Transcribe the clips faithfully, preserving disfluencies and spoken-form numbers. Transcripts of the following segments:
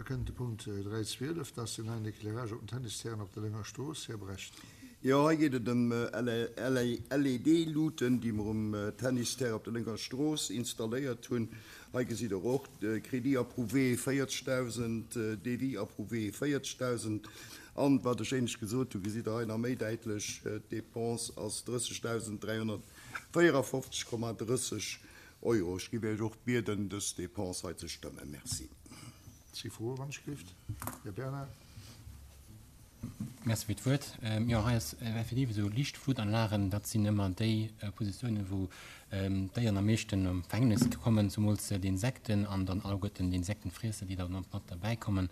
Da kënnt de Punkt dräi zwielef, dat ass den neien Éclairage op den Tennisterrainen op der Lénger Strooss. Här Brecht. Jo, hei geet et ëm L E D-Luten, déi mer um Tennisterrain op der Lénger Strooss installéiert hunn. Hei gesitt Der och de Crédit approuvé véierzegdausend, Devis approuvé véierzegdausend. An wat ech éinescht gesot hunn, gesitt Der hei nach méi däitlech, d'Dépense ass drëssegdausend dräihonnertvéierafofzeg Komma drësseg Euro. Ech géif Iech och bieden, dës Dépense hei ze stëmmen. Merci. Si froen, wann ech gelift. Här Bernard. Merci fir d'Wuert. Jo, hei ass effektiv esou, Liichtflutanlagen, dat sinn ëmmer déi Positiounen, wou d'Déieren am meeschten am Verhängnis kommen, zumools d'Insekten an dann alleguerten d'Insektenfriesser, déi dann mat derbäi kommen.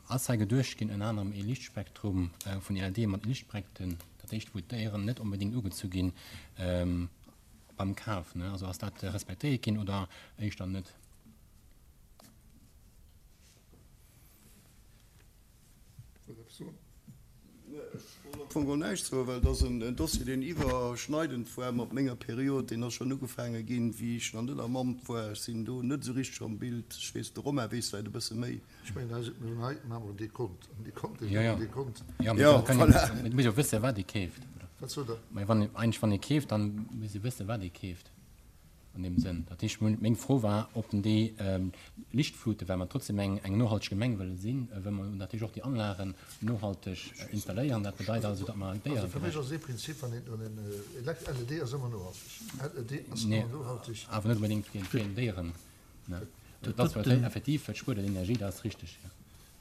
Ass hei geduecht ginn, ënner anerem ee Liichtspektrum vun L E D mat Liichtbreckten, dat heescht, wou d'Déieren net onbedéngt ugezu ginn beim Kaf, ne? Also ass dat respektéiert ginn oder éischter net? Wëllt eppes soen? Ech wollt am Fong geholl näischt soen, well et ass en Dossier, deen iwwerschneidend war mat menger Period. Deen ass schonn ugefaange ginn, wéi ech nach net am Amt war. Ech sinn do net esou richteg am Bild. Ech weess, de Romain weess vläicht e bësse méi. Ech mengen, hei mir hunn hei maache mer en Dekont. En Dekont, deen Jo, jo. en Dekont. Jo, mee Jo, da kann een, voilà. et muss jo wësse wat ee keeft, oder? Wat sot Der? Mä wann ee, eigentlech wann ee keeft, dann muss ee wësse wat ee keeft. An deem Sënn. Dat heescht, meng Fro war, ob den déi Lichtflute, well mer trotzdem eng, eng nohalteg Gemeng wëlle sinn, wëlle mer natierlech och déi Anlagen nohalteg installéieren. Dat bedeit also, datt mer Also fir mech déieregerecht. ass ee Prinzip, wann een, wann een Elekt, L E D ass ëmmer nohalteg. L E D ass Nee, ëmmer nohalteg. awer net unbedéngt fir, fir Déieren, ne? Dat ass zwar effektiv, et spuert Energie, dat ass richteg, ja.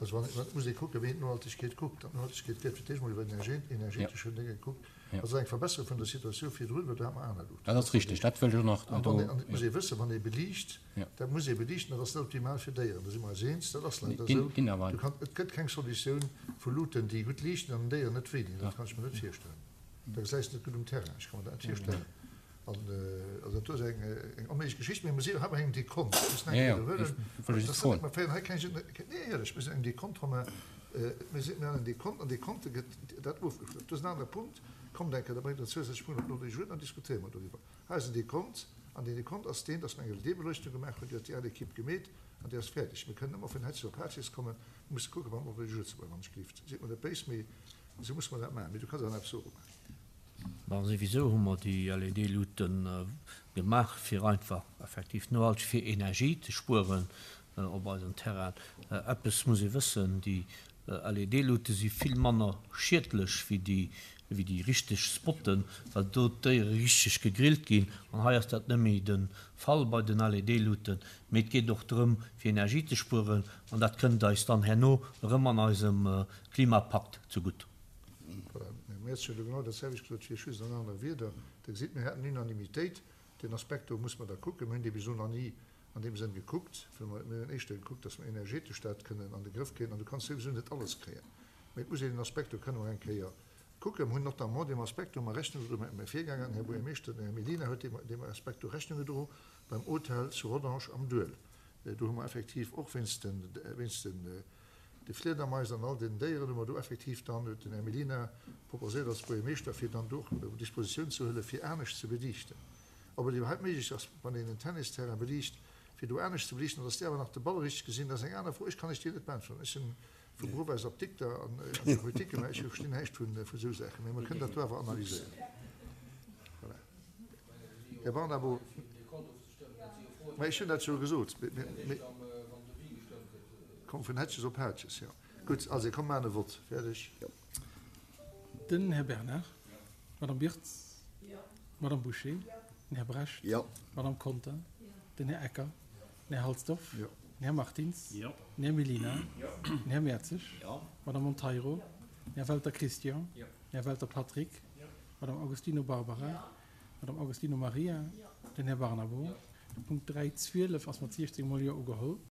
Also wann, wann muss ee kucken, wéi een d'Nohaltegkeet kuckt. An d'Nohaltegkeet gëtt fir d'éischt mol iwwer Energie, energetesche Dinge gekuckt. Ja. Also eng Verbesserung vun der Situatioun virdrun, well do hat mer aner Luuten. Dat ass richteg, dat wëll ech och nach An do. wann een, an et muss Ja. ee wëssen, wann ee beliicht, Ja. dat muss ee beliichten, dat ass net optimal fir Déieren. Da si mer eis eens, dat ass leider Ginn, esou. ginn awer. Du kann, et gëtt keng Solutioun vu Luuten, déi gutt liichten an den Déieren net wéi dinn. Dat Ja. kann ech mir net virstellen. Da gesäis net gutt um Terrain. Ech kann mir dat net virstellen. An also dat ass eng, eng onméiglech Geschicht, mee mir si hei bei engem Dekont. Mir müssen eng Ja, ja, Kéier ech huelen. wëll Dat just ass net, froen. mer féieren hei keng, nee, éierlech, mir sinn engem Dekont, Romain, mir sinn, mir han en Dekont, an Dekonte gëtt dat ofgeschloss. Dat ass en anere Punkt. Kommt eng Kéier, da bréngt der zousätzlech Punkt op den Ordre du jour, dann diskutéiere mer doriwwer. Hei ass en Dekont, an deen Dekont ass deen, dass mer eng L E D-Beleuchtung gemaach hunn, déi huet déi al Equipe gemeet, an déi ass fäerdeg. Mir kënnen ëmmer vun Hetz op Hatjes kommen, mir musse kucken, beim Ordre du jour ze bleiwen, wann ech gelift. Sidd mer net béis, mee esou muss mer dat maachen. Mee du kanns awer nach eppes soen, Romain. Bon, souwisou hu mer déi L E D-Luten gemaach, fir einfach effektiv nohalteg fir Energie ze spueren op eisem Terrain. Eppes muss ee wëssen, déi L E D-Lute si vill manner schiedlech wéi déi, wéi déi richteg Spotten, well do d'Déiere richteg gegrillt ginn. An hei ass dat net méi de Fall bei den L E D-Luten. Mee et geet och drëm, fir Energie ze spueren, an dat kënnt eis dann herno erëm an eisem Klimapakt zegutt. Voilà. Mir huet jo genau dat selwecht gesot wéi ech, just an anere Wierder. Der gesitt, mir haten Unanimitéit. Den Aspekt do muss mer da kucken. Mir hunn dee bis elo nach ni an deem Sënn gekuckt, well mer, mir hunn éischter gekuckt, dass mer energetesch dat kënnen an de Grëff kréien. An du kanns souwisou net alles kréien. Mee et muss een den Aspekt do kënne mer eng Kéier kucken. Mir hunn notamment deem Aspekt do mer Rechnung gedroen, mäi Virgänger, den Här Buergermeeschter, den Här Mellina, huet deem, deem Aspekt do Rechnung gedroen beim Hotel zu Rodange am Duel. Do hu mer effektiv och wéinst den, wéinst den, de Fliedermais an all den Déieren hu mer do effektiv dann, huet den Här Mellina proposéiert als Buergermeeschter, fir dann do och Dispositioun ze huelen, fir anescht ze beliichten. Ob et iwwerhaupt méiglech ass, wann een en Tennisterrain beliicht, fir do anescht ze beliichten, dass déi awer nach de Ball richteg gesinn, dat ass eng aner Fro. Ech kann lech déi net beantworten. Ech sinn vu Beruff aus Apdikter an an der Politik, mä ech verstinn näischt vun, vu esou Saachen. Mee mer kënnen dat do awer analyséieren. Voilà. Här Barnabo, mä ech hunn dat jo gesot. Mee, komm vun Hetches op Hatches, jo. Gutt, also komm, maachen e Vott. Fäerdeg. Den Här Bernard, Madame Birtz, Madame Boucher, den Här Brecht, Jo. Madame Conter, den Här Ecker, den Här Halsdorf, Jo. den Här Martins, Jo. den Här Mellina, den Här Mertzig, Jo. Madame Monteiro, den Här Welter Christian, Jo. den Här Welter Patrick, Madame Augustino Barbara, Madame Augustino Maria, den Här Barnabo. De Punkt dräi zwielef ass mat siechzéng mol Jo ugeholl.